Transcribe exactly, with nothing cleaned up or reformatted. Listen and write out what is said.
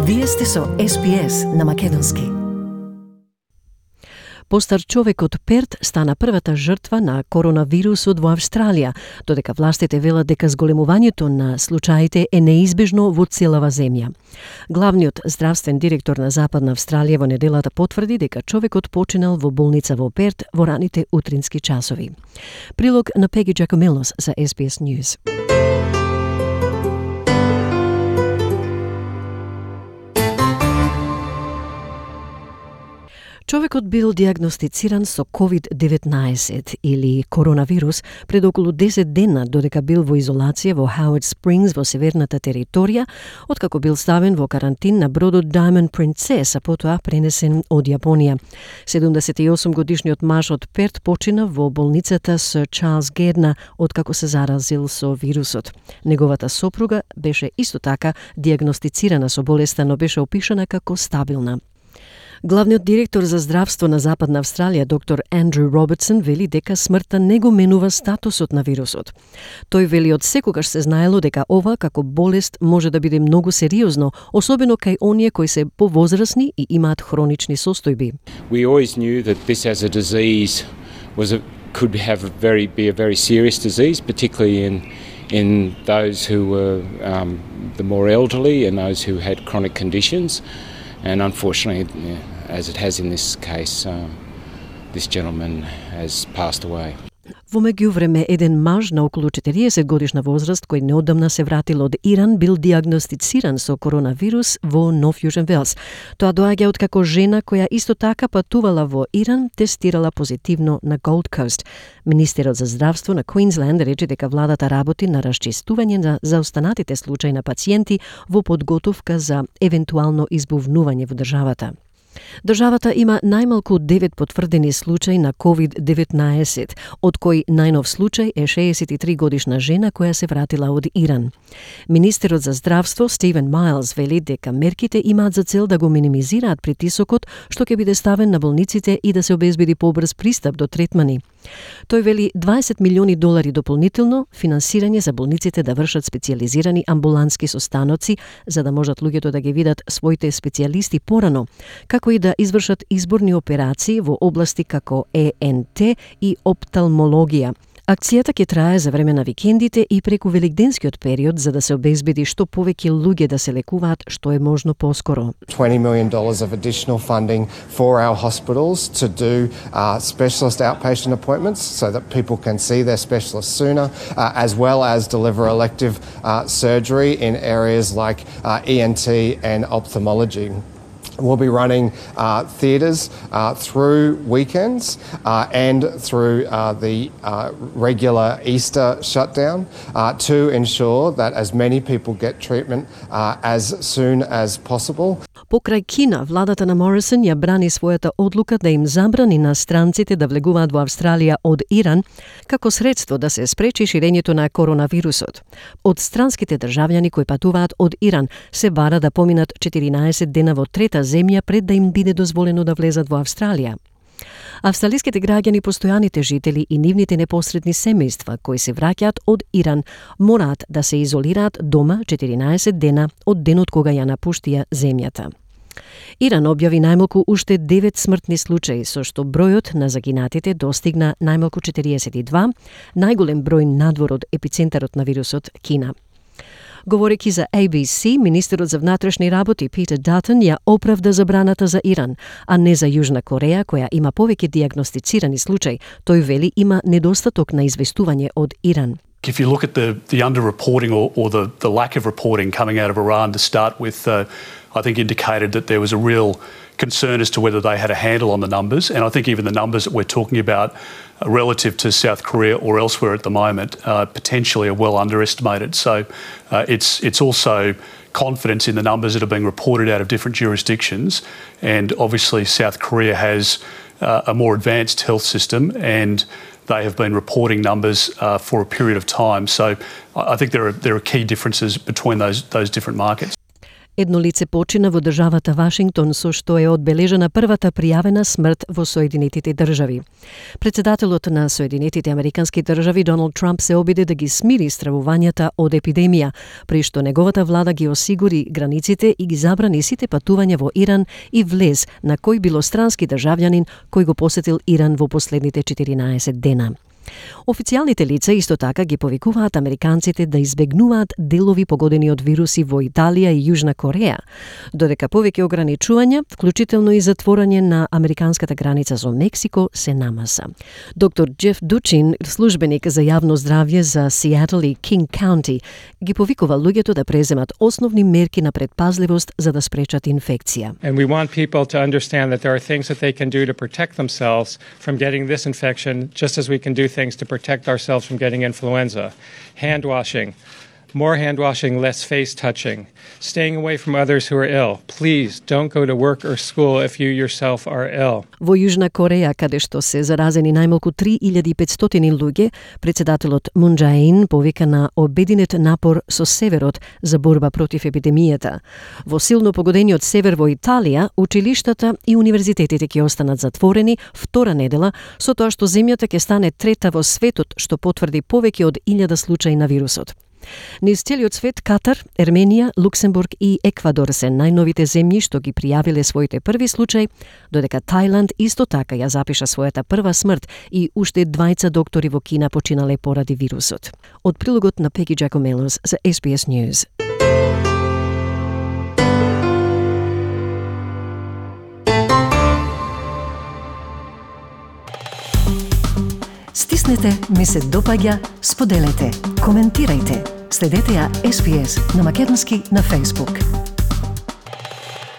Вие сте со Ес Би Ес на македонски. Постар човек од Перт стана првата жртва на коронавирусот во Австралија, додека властите велат дека зголемувањето на случаите е неизбежно во целава земја. Главниот здравствен директор на Западна Австралија во неделата потврди дека човекот починал во болница во Перт во раните утрински часови. Прилог на Пеги Джакомелос за Ес Би Ес News. Човекот бил диагностициран со ковид деветнаесет или коронавирус пред околу десет дена, додека бил во изолација во Howard Springs во северната територија, откако бил ставен во карантин на бродот Diamond Princess, а потоа пренесен од Јапонија. седумдесет и осум годишниот маж од Перт почина во болницата Сир Чарлс Герна откако се заразил со вирусот. Неговата сопруга беше исто така диагностицирана со болеста, но беше опишана како стабилна. Главниот директор за здравство на Западна Австралија, доктор Андрю Робертсон, вели дека смртта не го менува статусот на вирусот. Тој вели од секогаш се знаело дека ова како болест може да биде многу сериозно, особено кај оние кои се повозрасни и имаат хронични состојби. We always knew that this as a disease was a, could have a very be a very serious disease, particularly in in those who were um, the more elderly and those who had chronic conditions. And unfortunately, as it has in this case, um, this gentleman has passed away. Во меѓувреме, еден маж на околу четириесет годишна возраст, кој неодамна се вратил од Иран, бил диагностициран со коронавирус во Нов Јужен Велс. Тоа доаѓа откако жена која исто така патувала во Иран тестирала позитивно на Gold Coast. Министерот за здравство на Квинсленд рече дека владата работи на расчистување на заостанатите случаи на пациенти во подготовка за евентуално избувнување во државата. Државата има најмалку девет потврдени случаи на ковид деветнаесет, од кои најнов случај е шеесет и три годишна жена која се вратила од Иран. Министерот за здравство Стивен Майлс вели дека мерките имаат за цел да го минимизираат притисокот што ќе биде ставен на болниците и да се обезбеди побрз пристап до третмани. Тој вели дваесет милиони долари дополнително финансирање за болниците да вршат специјализирани амбулански состаноци за да можат луѓето да ги видат своите специјалисти порано, како и да извршат изборни операции во области како Е Ен Те и опталмологија. Акцијата ќе трае за време на викендите и преку великденскиот период за да се обезбеди што повеќе луѓе да се лекуваат што е можно поскоро. twenty million dollars of additional funding for our hospitals to do uh, specialist outpatient appointments so that people can see their specialist sooner, uh, as well as deliver elective uh, surgery in areas like uh, E N T and ophthalmology. We'll be running uh, theatres uh, through weekends uh, and through uh, the uh, regular Easter shutdown uh, to ensure that as many people get treatment uh, as soon as possible. Покрај Кина, владата на Морисон ја брани својата одлука да им забрани на странците да влегуваат во Австралија од Иран како средство да се спречи ширењето на коронавирусот. Од странските државјани кои патуваат од Иран се бара да поминат четиринаесет дена во трета земја пред да им биде дозволено да влезат во Австралија. Австралиските граѓани, постојаните жители и нивните непосредни семејства кои се враќаат од Иран мораат да се изолираат дома четиринаесет дена од денот кога ја напуштија земјата. Иран објави најмалку уште девет смртни случаи, со што бројот на загинатите достигна најмалку четириесет и два, најголем број надвор од епицентарот на вирусот Кина. Говорејќи за А Б С, министерот за внатрешни работи Питер Датон ја оправда забраната за Иран, а не за Јужна Кореја, која има повеќе диагностицирани случаи. Тој вели има недостаток на известување од Иран. If you look at the, the underreporting or, or the, the lack of reporting coming out of Iran to start with, uh, I think indicated that there was a real concern as to whether they had a handle on the numbers. And I think even the numbers that we're talking about uh, relative to South Korea or elsewhere at the moment uh, potentially are well underestimated. So uh, it's, it's also confidence in the numbers that are being reported out of different jurisdictions. And obviously South Korea has uh, a more advanced health system and they have been reporting numbers uh, for a period of time. So I think there are there are key differences between those those different markets. Едно лице почина во државата Вашингтон, со што е одбележена првата пријавена смрт во Соединетите држави. Председателот на Соединетите Американски држави Доналд Трамп се обиде да ги смири стравувањата од епидемија, при што неговата влада ги осигури границите и ги забрани сите патувања во Иран и влез на кој било странски државјанин кој го посетил Иран во последните четиринаесет дена. Официјалните лица исто така ги повикуваат американците да избегнуваат делови погодени од вируси во Италија и Јужна Кореја, додека повеќе ограничувања, вклучително и затворање на американската граница со Мексико, се намаса. Доктор Джеф Дучин, службеник за јавно здравје за Сиетл и Кинг Каунти, ги повикува луѓето да преземат основни мерки на предпазливост за да спречат инфекција. And we want people to understand that there are things that they can do to protect themselves from getting this infection, just as we can do things to protect ourselves from getting influenza. Hand washing, more hand washing, less face touching, staying away from others who are ill. Please don't go to work or school if you yourself are ill. Во Јужна Кореја, каде што се заразени најмалку три илјади и петстотини луѓе, председателот Мун Џаe-ин повика на обединет напор со Северот за борба против епидемијата. Во силно погодениот север во Италија, училиштата и универзитетите ќе останат затворени втора недела, со тоа што земјата ќе стане трета во светот што потврди повеќе од илјада случаи на вирусот. Низ целиот свет Катар, Ерменија, Луксембург и Еквадор се најновите земји што ги пријавиле своите први случаи, додека Тајланд исто така ја запиша својата прва смрт и уште двајца доктори во Кина починале поради вирусот. Од прилогот на Пеги Джакомелос за Ес Би Ес News. Стиснете, ми се допаѓа, споделете, коментирајте. Следете ја Ес Би Ес на македонски на Facebook.